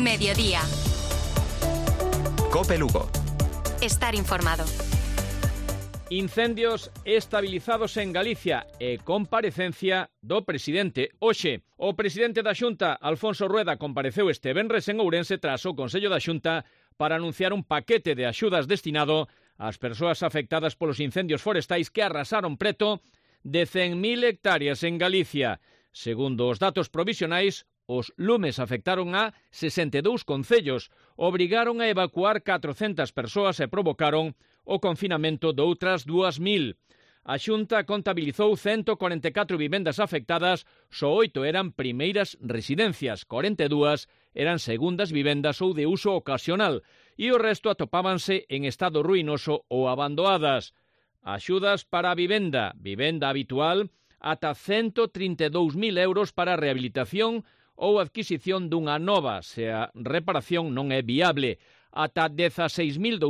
Mediodía. COPE Lugo. Estar informado. Incendios estabilizados en Galicia e comparecencia do presidente hoxe. O presidente da Xunta, Alfonso Rueda, compareceu este venres en Ourense tras o Consello da Xunta para anunciar un paquete de axudas destinado ás persoas afectadas polos incendios forestais que arrasaron preto de 100.000 hectáreas en Galicia. Segundo os datos provisionais, os lumes afectaron a 62 concellos, obrigaron a evacuar 400 persoas e provocaron o confinamento de outras 2.000. A Xunta contabilizou 144 vivendas afectadas, só 8 eran primeiras residencias, 42 eran segundas vivendas ou de uso ocasional, e o resto atopábanse en estado ruinoso ou abandonadas. Axudas para a vivenda habitual, ata 132.000 euros para a rehabilitación ou adquisición dunha nova, se a reparación non é viable, ata 16.200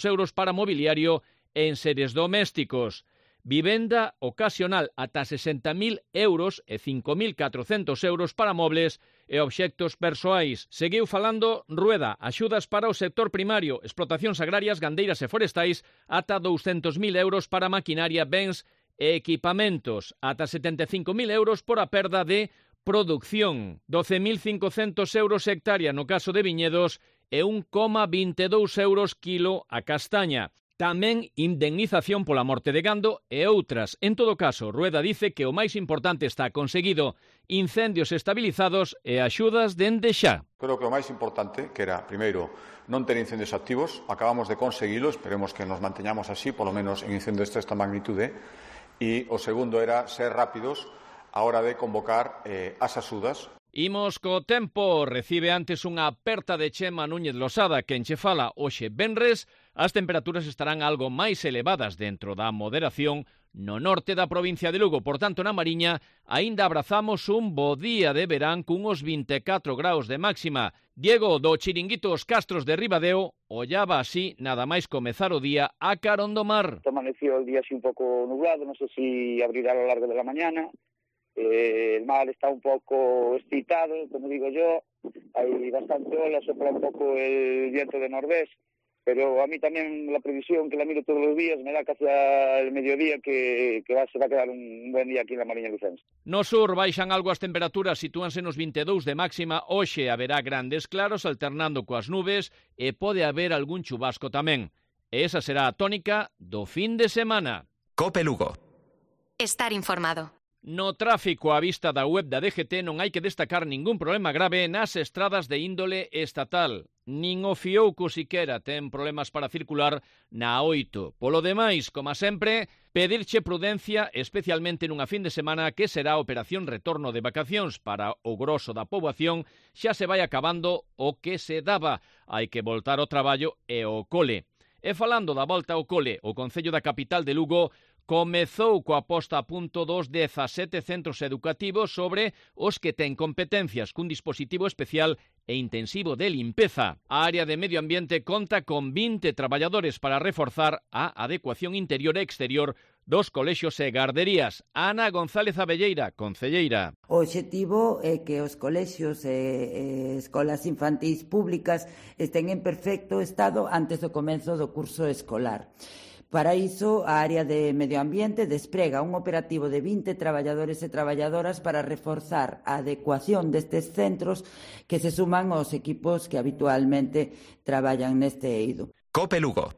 euros para mobiliario en seres domésticos. Vivenda ocasional ata 60.000 euros e 5.400 euros para mobles e obxectos persoais. Seguiu falando Rueda, axudas para o sector primario, explotacións agrarias, gandeiras e forestais, ata 200.000 euros para maquinaria, bens e equipamentos, ata 75.000 euros por a perda de producción, 12.500 euros hectárea no caso de viñedos e 1,22 euros kilo a castaña. Tamén indemnización pola morte de gando e outras. En todo caso, Rueda dice que o máis importante está conseguido: incendios estabilizados e axudas dende xa. Creo que o máis importante, que era, primeiro, non ter incendios activos, acabamos de conseguilo, esperemos que nos manteñamos así, polo menos en incendios desta magnitude, e o segundo era ser rápidos a hora de convocar as axudas. Imos co tempo. Recibe antes unha aperta de Chema Núñez Losada, que enche fala hoxe venres. As temperaturas estarán algo máis elevadas dentro da moderación no norte da provincia de Lugo. Por tanto, na Mariña, aínda abrazamos un bo día de verán cunhos 24 graus de máxima. Diego, do Chiringuito Os Castros de Ribadeo, ollaba así nada máis comezar o día a carón do mar. Amaneció el día así un pouco nublado, non sei si abrirá a lo largo de la mañana. El mar está un poco excitado, como digo yo, hay bastante ola, sopla un poco el viento de nordés, pero a mí también la previsión, que la miro todos los días, me da que hacia el mediodía que se va a quedar un buen día aquí en la Mariña Lucense. No sur baixan algo as temperaturas, sitúanse nos 22 de máxima. Hoxe haberá grandes claros alternando coas nubes e pode haber algún chubasco tamén. E esa será a tónica do fin de semana. COPE Lugo. Estar informado. No tráfico, á vista da web da DGT, non hai que destacar ningún problema grave nas estradas de índole estatal. Nin o Fiouco siquera ten problemas para circular na 8. Polo demais, como sempre, pedirche prudencia, especialmente nunha fin de semana que será a operación retorno de vacacións. Para o groso da poboación xa se vai acabando o que se daba. Hai que voltar ao traballo e ao cole. E falando da volta ao cole, o Concello da capital de Lugo comezou coa posta a punto dos 17 centros educativos sobre os que ten competencias cun dispositivo especial e intensivo de limpeza. A área de medio ambiente conta con 20 traballadores para reforzar a adecuación interior e exterior dos colexios e garderías. Ana González Abelleira, concelleira. O obxectivo é que os colexios e escolas infantís públicas estén en perfecto estado antes do comenzo do curso escolar. Para iso, a área de medio ambiente desprega un operativo de 20 traballadores e traballadoras para reforzar a adecuación destes centros que se suman aos equipos que habitualmente traballan neste eido. COPE Lugo.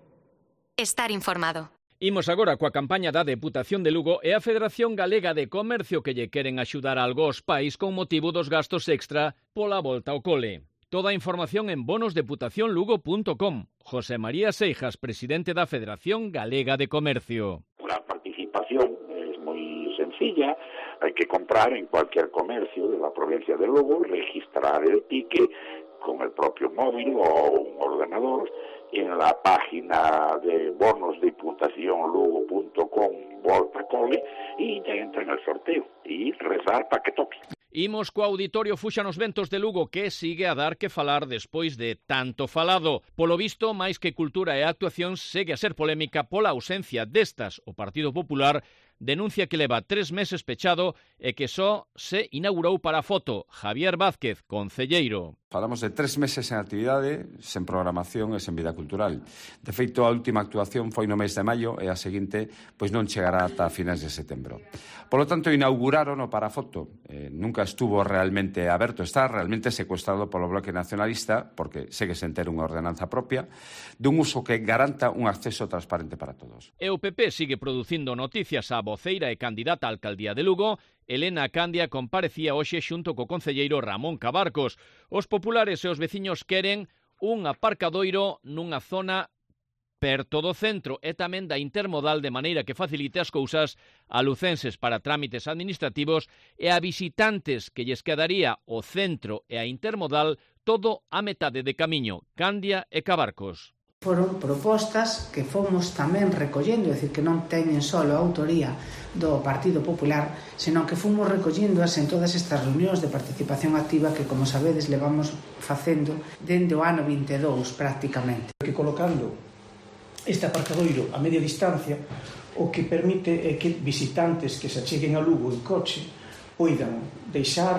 Estar informado. Imos agora coa campaña da Deputación de Lugo e a Federación Galega de Comercio, que lle queren axudar algo aos pais con motivo dos gastos extra pola volta ao cole. Toda a información en bonosdeputacionlugo.com. José María Seijas, presidente da Federación Galega de Comercio. La participación es muy sencilla. Hay que comprar en cualquier comercio de la provincia de Lugo, registrar el ticket con el propio móvil o un ordenador en la página de bonosdeputacionlugo.com volta cole y ya entra en el sorteo y rezar para que toque. Imos co Auditorio Fuxa nos Ventos de Lugo, que sigue a dar que falar despois de tanto falado. Polo visto, máis que cultura e actuación, segue a ser polémica pola ausencia destas. O Partido Popular denuncia que leva 3 meses pechado e que só se inaugurou para a foto. Javier Vázquez, concelleiro. Falamos de 3 meses en actividade, sen programación e sen vida cultural. De feito, a última actuación foi no mes de maio e a seguinte pois non chegará ata finais de setembro. Por lo tanto, inauguraron o Parafoto. Nunca estuvo realmente aberto, está realmente secuestrado polo Bloque Nacionalista, porque segue sen ter unha ordenanza propia, dun uso que garanta un acceso transparente para todos. E o PP sigue producindo noticias. A voceira e candidata á alcaldía de Lugo, Elena Candia, comparecía hoxe xunto co concelleiro Ramón Cabarcos. Os populares e os veciños queren un aparcadoiro nunha zona perto do centro e tamén da intermodal, de maneira que facilite as cousas a lucenses para trámites administrativos e a visitantes que lles quedaría o centro e a intermodal todo a metade de camiño. Candia e Cabarcos. Foron propostas que fomos tamén recollendo, é dicir, que non teñen só a autoría do Partido Popular, senón que fomos recolléndoas en todas estas reunións de participación activa que, como sabedes, levamos facendo dende o ano 22 prácticamente. Que colocando este aparcadoiro a media distancia, o que permite é que visitantes que se acheguen a Lugo en coche poidan deixar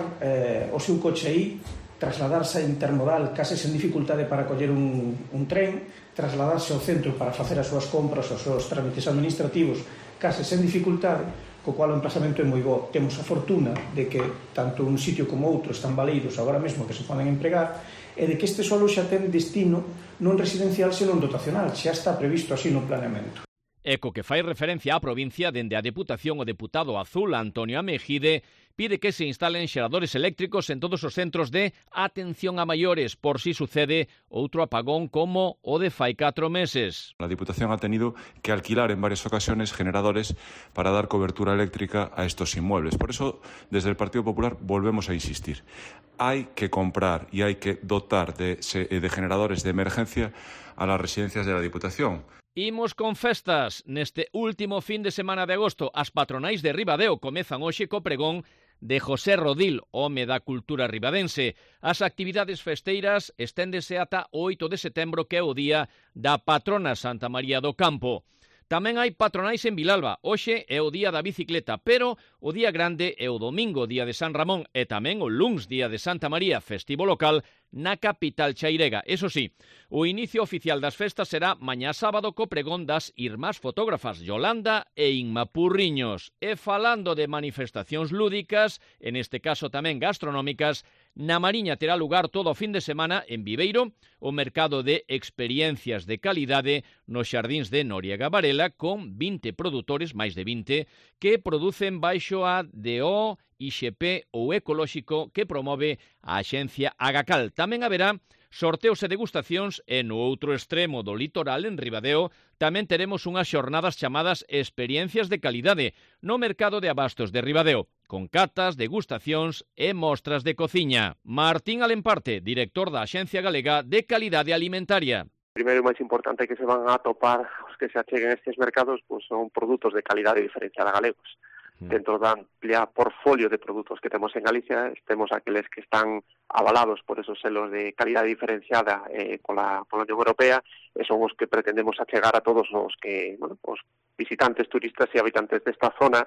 o seu coche aí, trasladarse a intermodal case sen dificultade para coller un tren, trasladarse ao centro para facer as súas compras, os seus trámites administrativos case sen dificultade, co cual o emplazamento é moi bo. Temos a fortuna de que tanto un sitio como outro están baleiros agora mesmo que se poden empregar e de que este solo xa ten destino non residencial senón dotacional, xa está previsto así no planeamento. Eco que fai referencia á provincia, dende a Deputación o deputado azul Antonio Amejide pide que se instalen xeradores eléctricos en todos os centros de atención a maiores por si sucede outro apagón como o de fai 4 meses. La Diputación ha tenido que alquilar en varias ocasiones generadores para dar cobertura eléctrica a estos inmuebles. Por eso, desde el Partido Popular volvemos a insistir. Hay que comprar y hay que dotar de generadores de emergencia a las residencias de la Diputación. Imos con festas. Neste último fin de semana de agosto, as patronais de Ribadeo comezan hoxe co pregón de José Rodil, home da cultura ribadense. As actividades festeiras esténdese ata o 8 de setembro, que é o día da patrona Santa María do Campo. Tamén hai patronais en Vilalba. Hoxe é o día da bicicleta, pero o día grande é o domingo, día de San Ramón, e tamén o luns, día de Santa María, festivo local, na capital chairega. Eso sí, o inicio oficial das festas será mañá sábado co pregón das irmás fotógrafas Yolanda e Inma Purriños. E falando de manifestacións lúdicas, en este caso tamén gastronómicas, na Mariña terá lugar todo o fin de semana en Viveiro o mercado de experiencias de calidade nos xardíns de Noriega Varela, con 20 produtores, máis de 20, que producen baixo a DO, IXP ou ecolóxico que promove a axencia Agacal. Tamén haberá sorteos e degustacións e no outro extremo do litoral, en Ribadeo, tamén teremos unhas xornadas chamadas Experiencias de Calidade no mercado de abastos de Ribadeo, con catas, degustacións e mostras de cociña. Martín Alemparte, director da Axencia Galega de Calidade Alimentaria. Primeiro e máis importante que se van a atopar os que se acheguen estes mercados pois son produtos de calidade diferenciada galegos. Dentro da amplia portfolio de produtos que temos en Galicia, temos aqueles que están avalados por esos selos de calidade diferenciada pola Unión Europea, e son os que pretendemos achegar a todos os que, os visitantes, turistas e habitantes desta zona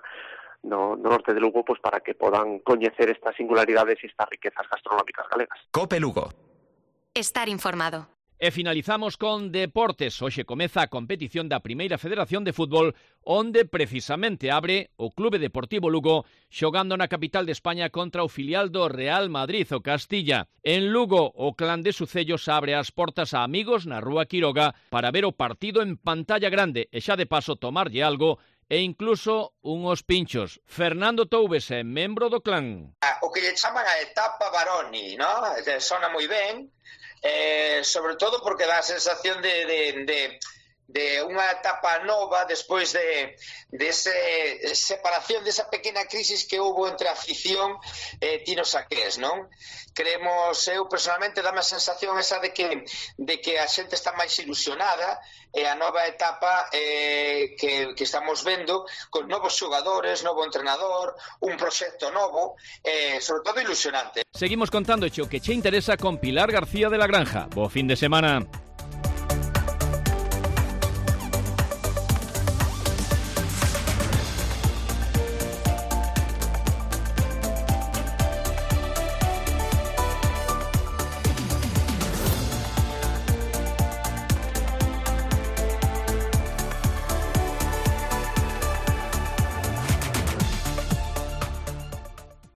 no norte de Lugo, pues para que podan coñecer estas singularidades e estas riquezas gastronómicas galegas. COPE Lugo. Estar informado. E finalizamos con deportes. Hoxe comeza a competición da Primeira Federación de Fútbol, onde precisamente abre o Clube Deportivo Lugo xogando na capital de España contra o filial do Real Madrid, o Castilla. En Lugo, o clan de Sucellos abre as portas a amigos na Rúa Quiroga para ver o partido en pantalla grande e xa de paso tomarlle algo e incluso unhos pinchos. Fernando Toubes é membro do clan. O que lle chaman a etapa Baroni, ¿no? Sona moi ben, sobre todo porque dá a sensación de unha etapa nova despois de esa separación, desa pequena crisis que houve entre a afición e Tino Saqués, non? Creemos, eu personalmente dame a sensación esa de que a xente está máis ilusionada e a nova etapa que estamos vendo con novos xogadores, novo entrenador, un proxecto novo, sobre todo ilusionante. Seguimos contándoche o que che interesa con Pilar García de la Granja. Bo fin de semana.